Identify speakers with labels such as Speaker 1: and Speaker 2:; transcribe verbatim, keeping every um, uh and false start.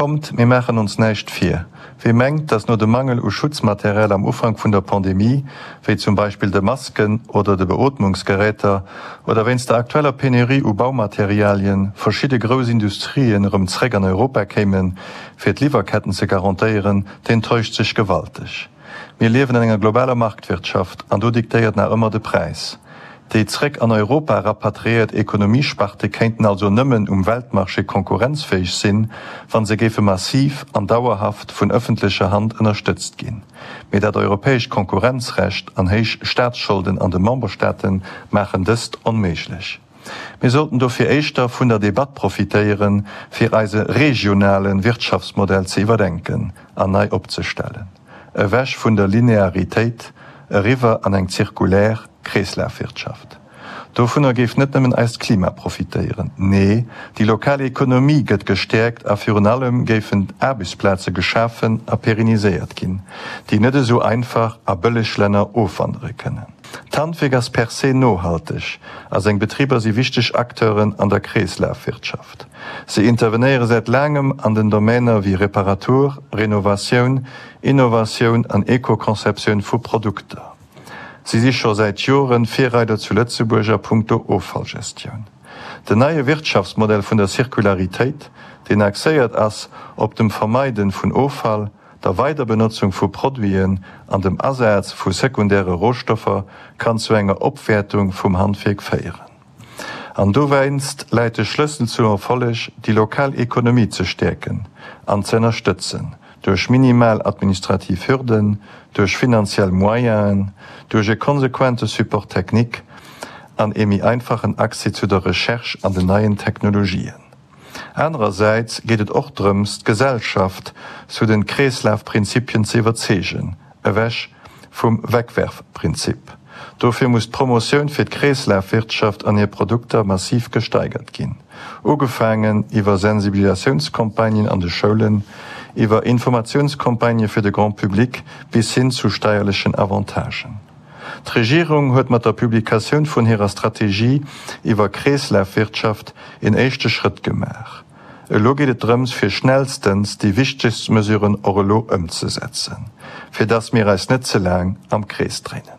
Speaker 1: Kommt, mir maachen ons näischt vir, Wie mengt, dass no dem Mangel u Schutzmaterial am Ufank vun der Pandemie, wéi zum Beispill de Masken oder de Beootmungsgeräter, oder wéinst der aktueller Penurie u Baumaterialien, verschidde grouss Industrien erëm zréck an Europa kéimen, fir d'Liwwerketten ze garantéieren, deen täuscht sech gewalteg. Mir liewen an enger globaler Marktwirtschaft an do diktéiert nach ëmmer de Präis. Déi zréck an Europa rapatriéiert Ekonomiesparte kéinten also nëmmen um Weltmarché konkurrenzfäeg sinn, wa se géife massiv an dauerhaft vun ëffentlecher Hand ënnerstëtzt ginn. Mee dat europäescht Konkurrenzrecht an héich Staatsscholden an de Memberstaate maachen dëst onméiglech. Mir sollten dofir éischter vun der Debatt profitéieren, fir eise regionale Wirtschaftsmodell ze iwwerdenken an nei opzestellen. Ewech vun der Linearitéit, eriwwer an eng zirkulär Kreeslafwirtschaft. Dovunner géif net nëmmen eist Klima profitéieren, nee, déi lokal Ekonomie gëtt gestäerkt a virun allem géifen Aarbechtsplaze geschafen a pérenniséiert ginn, déi net esou einfach a bëlleg Länner ofwandere kënnen. D'Handwierk ass per se nohalteg a seng Betriber si wichteg Acteuren an der Kreeslafwirtschaft. Se intervenéiere säit laangem an den Domainer wéi Reparatur, Renovatioun, Innovatioun an Eco-Conceptioun vu Produkter. Si si scho säit Joren Virreider zu Lëtzebuerg a punkto Offallgestioun. Den neie Wirtschaftsmodell vun der Zirkularitéit, deen axéiert ass op dem Vermeiden vun Offall, der Weiderbenotzung vu Produiten an dem Asaz vu sekundäre Rohstoffer, kann zu enger Opwäertung vum Handwierk féieren. An dowéinst läit de Schlëssel zum Erfolleg, déi lokal Ekonomie ze stäerken an ze ënnerstëtzen, duerch minimal administrativ Hürden, duerch finanziell Moyenen, duerch e konsequente Support technique an ee méi einfachen Accès zu der Recherche an den neien Technologien. Anerersäits geet et och drëms, d'Gesellschaft zu den Kreeslafprinzipien ze iwwerzeegen, ewech vum Wegwerfprinzip. Dofir muss d'Promotioun fir d'Kreeslafwirtschaft an hir Produkter massiv gesteigert ginn, ugefaangen iwwer Sensibilisatiounscampagnen an de Schoulen, iwwer Informatiounscampagnë fir de Grand public bis hin zu steierlechen Avantagen. D'Regierung huet mat der Publikatioun vun hirer Strategie iwwer Kreeslafwirtschaft een éischte Schrëtt gemaach. Elo geet et drëms, fir schnellstens déi wichtegst Mesuren och elo ëmzesetzen, fir dass mir eis net ze laang am Krees dréinen.